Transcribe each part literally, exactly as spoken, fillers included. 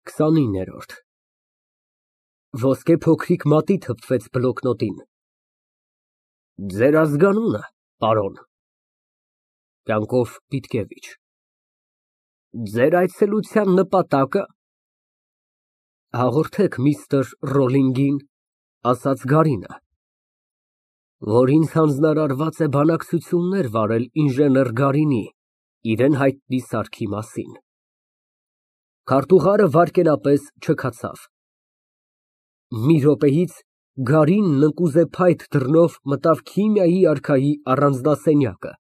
քսանիններորդ Ոսկե փոքրիկ մատի թփվեց բլոկնոտին։ Ձեր ազգանունը, պարոն։ կյանքով Պիտկևիչ։ Ձեր այցելության նպատակը։ Հաղորդեք միստր Ռոլլինգին, ասաց Գարինը, որ ինձ հանձնարարված է բանակցություններ վարել ինժեներ Գարինի, իրան հայտնի սարքի մասին։ Քարտուղարը վայրկենապես չքացավ։ Մի րոպեից Գարինն ընկուզեփայտ դռնով մտավ քիմիայի արքայի առանձնասենյակը։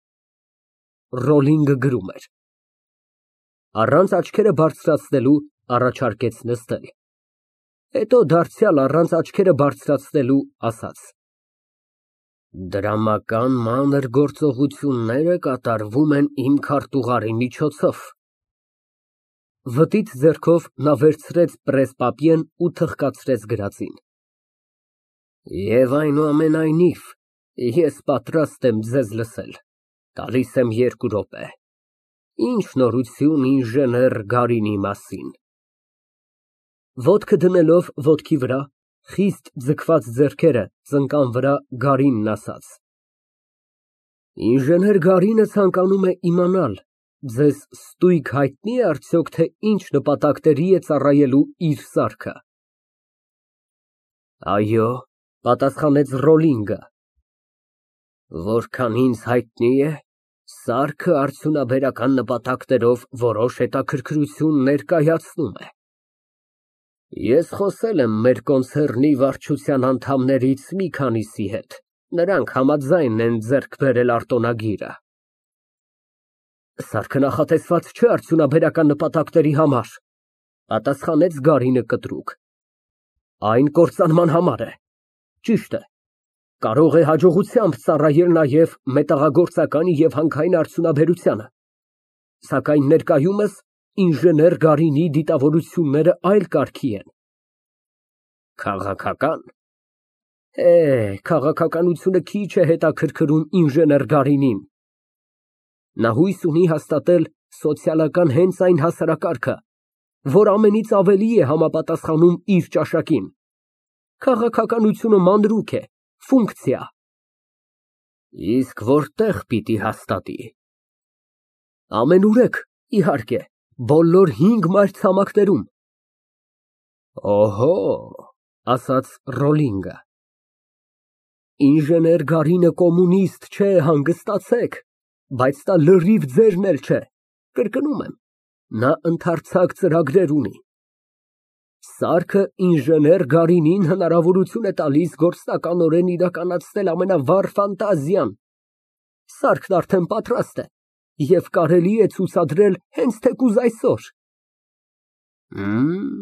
Ռոլլինգը գրում էր։ Առանց աչքերը բարձրացնելու առաջարկեց նստել, հետո դարձյալ առանց աչքերը բարձրացնելու ասաց. Դրամական մանր գործողությունները կատարվում են իմ քարտուղարի միջոցով։ Վտից ձեռքով նա վերցրեց պրես֊պապիեն ու թղկացրեց գրածին։ Եվ այնուամենայնիվ, ես պատրաստ եմ ձեզ լսել, տալիս եմ երկու րոպե։ Ինչ նորություն ինժեներ Գարինի մասին։ Ոտքը դնելով ոտքի վրա, խիստ ձգված ձեռքերը ծնկան վրա, Գարինն ասաց. Ինժեներ Գարինը ցանկանում է իմանալ, ձեզ ստույգ հայտնի է արդյոք, թե ինչ նպատակների է ծառայելու իր սարքը։ Այո, պատասխանեց Ռոլլինգը։ Որքան ինձ հայտնի է, սարքը արդյունաբերական նպատակներով որոշ հետաքրքրություն ներկայացնում է։ Ես խոսել եմ մեր կոնցեռնի վարչության անդամներից մի քանիսի հետ, նրանք համաձայն են ձեռք բերել արտոնագիրը։ Սարքը նախատեսված չէ արդյունաբերական նպատակների համար, պատասխանեց Գարինը կտրուկ։ Այն կործանման համար է, ճիշտ է, կարող է հաջողությամբ ծառայել նաև մետաղագործականի և հանքային արդյունաբերությանը, սակայն ներկայումս ինժեներ Գարինի դիտավորությունները այլ կարգի են։ Քաղաքական։ Է, քաղաքականությունը քիչ է հետաքրքրում ինժեներ Գարինին։ Նա հույս ունի հաստատել սոցիալական հենց այն հասարակարգը, որ ամենից ավելի է համապատասխանում իր ճաշակին։ Քաղաքականությունը մանրուք է, ֆունկցիա։ Իսկ որտեղ պիտի հաստատի։ Ամենուրեք, իհարկե, բոլոր հինգ մայրցամաքներում։ Օհո, ասաց Ռոլլինգը։ Ինժեներ Գարինը կոմունիստ չէ, հանգստացեք, բայց դա լրիվ ձերն էլ չէ, կրկնում եմ, նա ընդարձակ ծրագրեր ունի։ Սարքը ինժեներ Գարինին հնարավորություն է տալիս գործնականորեն իրականացնել ամենավառ ֆանտազիան։ Սարքն արդեն պատրաստ է և կարելի է ցուցադրել հենց թեկուզ այսօր։ Հմ,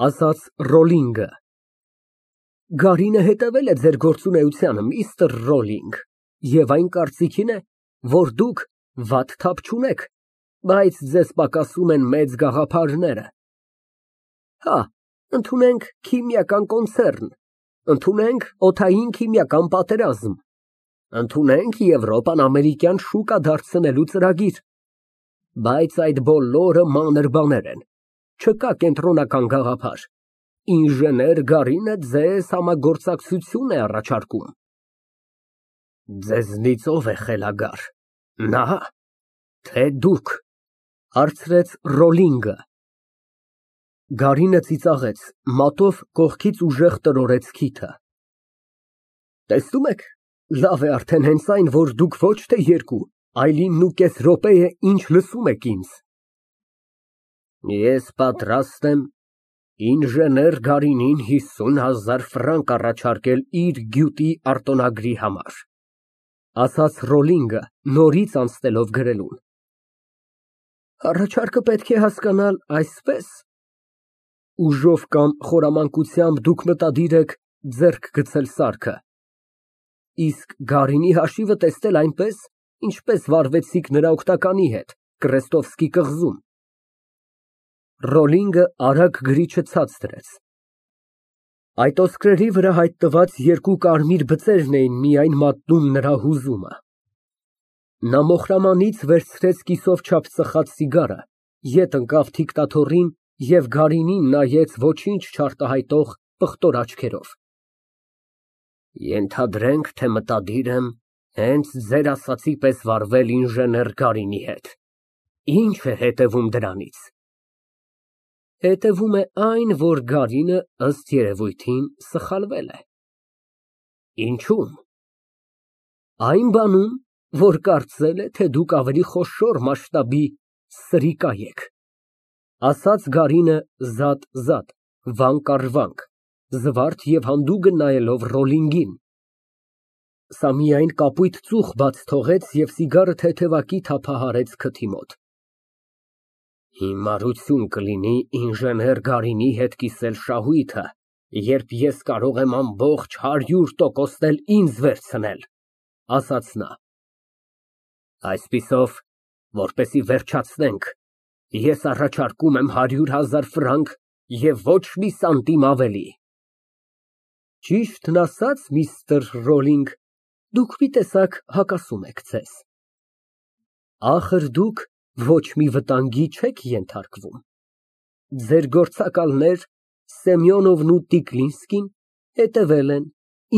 ասաց Ռոլլինգը։ Գարինը հետևել է ձեր գործունեությանը, միստր Ռոլլինգ, և այն կարծիքին է, որ դուք վատ թափ չունեք, բայց ձեզ պակասում են մեծ գաղափարները։ Հա, ընդունենք քիմիական կոնցեռն, ընդունենք օդային քիմիական պատերազմ, ընդունենք Եվրոպան ամերիկյան շուկա դարձնելու ծրագիր, բայց այդ բոլորը մանր բաներ են, չկա կենտրոնական գաղափար, ինժեներ Գարինը ձեզ համագործակցություն է առաջարկում։ Ձեզնից ով է խելագար, նա, թե դուք, հարցրեց Ռոլլինգը։ Գարինը ծիծաղեց, մատով կողքից ուժեղ տրորեց քիթը։ Տեսնում եք, լավ է արդեն հենց այն, որ դուք ոչ թե երկու, այլ իննուկես րոպե է ինչ լսում եք ինձ։ Ես պատրաստ եմ ինժեներ Գարինին հիսուն հազար ֆրանկ առաջարկել իր գյուտի արտոնագրի համար, ասաց Ռոլլինգը, նորից անցնելով գրելուն։ Առաջարկը պետք է հասկանալ այսպես. ուժով կամ խորամանկությամբ դուք մտադիր եք ձեռք գցել սարքը, իսկ Գարինի հաշիվը տեսնել այնպես, ինչպես վարվեցիք նրա օգնականի հետ Կրեստովսկի կղզում։ Ռոլլինգը արագ գրիչը ցած դրեց։ Այդ ոսկրերի վրա հայտնված երկու կարմիր բծերն էին միայն մատնում նրա հուզումը։ Նա մոխրամանից վերցրեց կիսով չափ ծխած սիգարը, ետ ընկավ դիկտատորին Եվ Գարինին նայեց ոչինչ չարտահայտող պղտոր աչքերով։ Ենթադրենք, թե մտադիր եմ հենց ձեր ասածի պես վարվել ինժեներ Գարինի հետ, ի՞նչ է հետևում դրանից։ Հետևում է այն, որ Գարինը, ըստ երևույթին, սխալվել է։ Ինչո՞ւմ։ Այն բանում, որ կարծել է, թե դուք ավելի խոշոր մասշտաբի սրիկա եք, ասաց Գարինը զատ֊զատ, վանք առ վանք, զվարթ և հանդուգն նայելով Ռոլինգին։ Սա միայն կապույտ ծուխ բաց թողեց և սիգարը թեթևակի թափահարեց քթի մոտ։ Հիմարություն կլինի ինժեներ Գարինի հետ կիսել շահույթը, երբ ես կարող եմ ամբողջ հարյուր տոկոսն էլ ինձ վերցնել, ասաց նա։ Այսպիսով, որպեսզի վերջացնենք, ես առաջարկում եմ հարյուր հազար ֆրանկ և ոչ մի սանտիմ ավելի։ Ճիշտն ասած, միստր Ռոլինգ, դուք մի տեսակ հակասում եք ձեզ։ Ախր դուք ոչ մի վտանգի չեք ենթարկվում։ Ձեր գործակալներ Սեմյոնովն ու Տիկլինսկին հետևել են,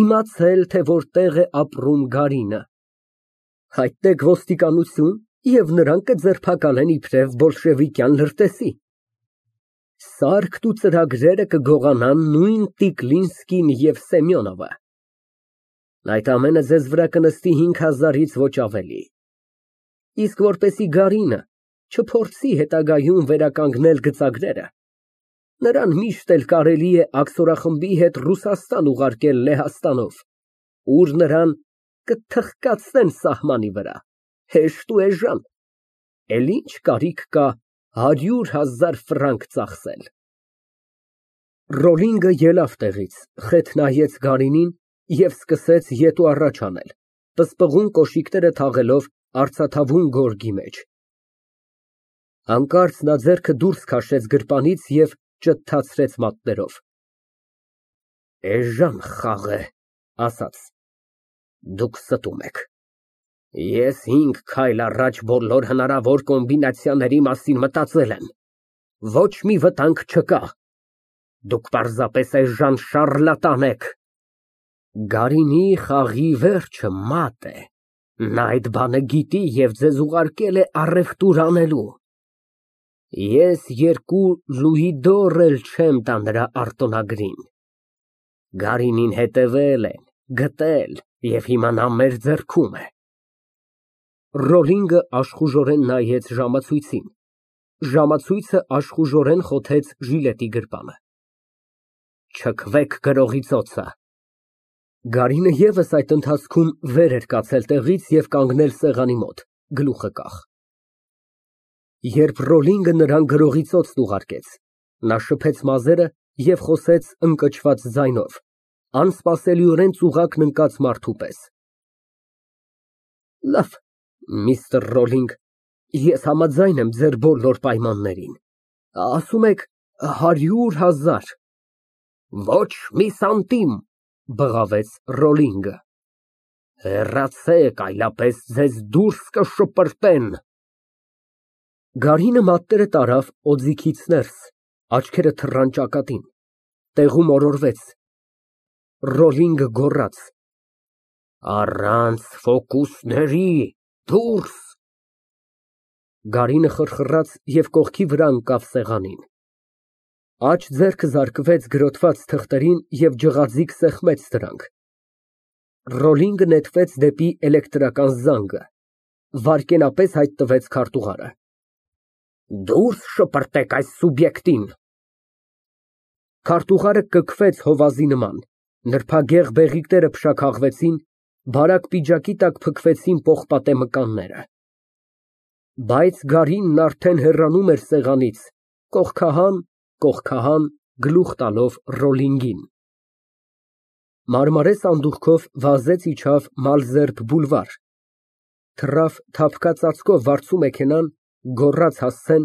իմացել, թե որտեղ է ապրում Գարինը։ Հայտնեք ոստիկանություն, և նրանք կձերբակալեն իբրև բոլշևիկյան լրտեսի։ Սարքն ու ծրագրերը կգողանան նույն Տիկլինսկին և Սեմյոնովը։ Այդ ամենը ձեզ վրա կնստի հինգ հազարից ոչ ավելի։ Իսկ որպեսզի Գարինը չփորձի հետագայում վերականգնել գծագրերը, նրան միշտ էլ կարելի է աքսորախմբի հետ Ռուսաստան ուղարկել Լեհաստանով, ուր նրան կթխկացնեն սահմանի վրա, հեշտ ու էժան, էլ ինչ կարիք կա հարյուր հազար ֆրանկ ծախսել։ Ռոլինգը ելավ տեղից, խեթ նայեց Գարինին և սկսեց ետ ու առաջ անել, պսպղուն կոշիկները թաղելով արծաթավուն գորգի մեջ։ Հանկարծ նա ձեռքը դուրս քաշեց գրպանից և ճթթացրեց մատներով։ Էժան խաղ է, ասաց, դուք ստում եք։ Ես հինգ քայլ առաջ բոլոր հնարավոր կոմբինացիաների մասին մտածել եմ, ոչ մի վտանգ չկա, դուք պարզապես էժան շառլատան եք։ Գարինի խաղի վերջը մատ է, նա այդ բանը գիտի և ձեզ ուղարկել է առևտուր անելու։ Ես երկու լուի դոր էլ չեմ տա նրա արտոնագրին։ Գարինին հետևել են, գտել և հիմա նա մեր ձեռքում է։ Ռոլինգը աշխուժորեն նայեց ժամացույցին, ժամացույցը աշխուժորեն խոթեց ժիլետի գրպանը։ Չքվեք գրողի ծոցը։ Գարինը ևս այդ ընթացքում վեր էր կացել տեղից և կանգնել սեղանի մոտ, գլուխը կախ։ Երբ Ռոլինգը նրան գրողի ծոցն ուղարկեց, նա շփեց մազերը և խոսեց ընկճված ձայնով, անսպասելիորեն ծուղակն ընկած մարդու պես։ Լավ, միստր Ռոլինգ, ես համաձայն եմ ձեր բոլոր պայմաններին, ասում եք հարյուր հազար։ Ոչ մի սանտիմ, բղավեց Ռոլինգը։ Հեռացեք, այլապես ձեզ դուրս կշպրտեն։ Գարինը մատները տարավ օձիքից ներս, աչքերը թռան ճակատին, տեղում օրորվեց։ Ռոլինգը գոռաց. Առանց ֆոկուսների, դուրս։ Գարինը խռխռաց և կողքի վրա ընկավ սեղանին։ Աջ ձեռքը զարկվեց գրոտված թղթերին և ջղաձիգ սեղմեց դրանք։ Ռոլինգը նետվեց դեպի էլեկտրական զանգը, վայրկենապես հայտնվեց քարտուղարը։ Դուրս շպրտեք այս սուբյեկտին։ Քարտուղարը կքվեց հովազի նման, նրբագեղ բեղիկները փշաքաղվեցին, բարակ պիջակի տակ փքվեցին պողպատե մկանները։ Բայց Գարինն արդեն հեռանում էր սեղանից, կողքահան, կողքահան, գլուխ տալով Ռոլինգին։ Մարմարե սանդուղքով վազեց իջավ Մալզերբ բուլվար, թռավ թափկա ծածկով վարձու մեքենան, գոռաց հասցեն,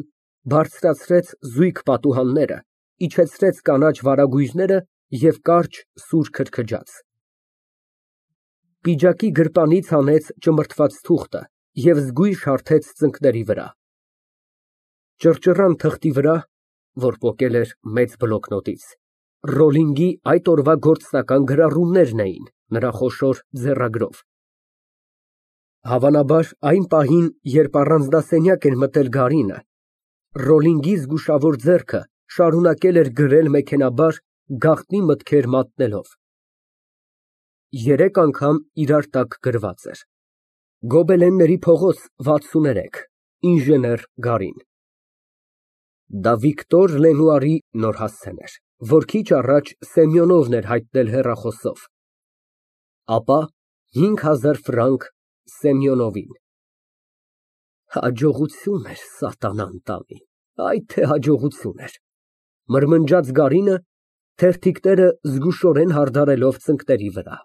բարձրացրեց զույգ պատուհանները, իջեցրեց կանաչ վարագույրները և կարճ սուր քրքջաց։ Պիջակի գրպանից հանեց ճմրթված թուղթը և զգույշ հարթեց ծնկների վրա։ Ճռճռան թղթի վրա, որ պոկել էր մեծ բլոկնոտից։ Ռոլլինգի այդ օրվա գործնական գրառումներն էին նրա խոշոր ձեռագրով։ Հավանաբար, այն պահին, երբ առանձնասենյակ էր մտել Գարինը, Ռոլլինգի զգուշավոր ձեռքը շարունակել էր գրել մեքենայաբար, գաղտնի մտքեր մատնելով։ Երեք անգամ իրար տակ գրված էր. Գոբելենների փողոց վաթսուներեք, ինժեներ Գարին։ Դա Վիկտոր Լենուարի նոր հասցեն էր, որ քիչ առաջ Սեմյոնովն էր հայտնել հեռախոսով, ապա հինգ հազար ֆրանկ Սեմյոնովին։ Հաջողություն էր սատանան տանի, այ թե հաջողություն էր, մրմնջաց Գարինը, թերթիկները զգուշորեն հարդարելով ծնկների վրա։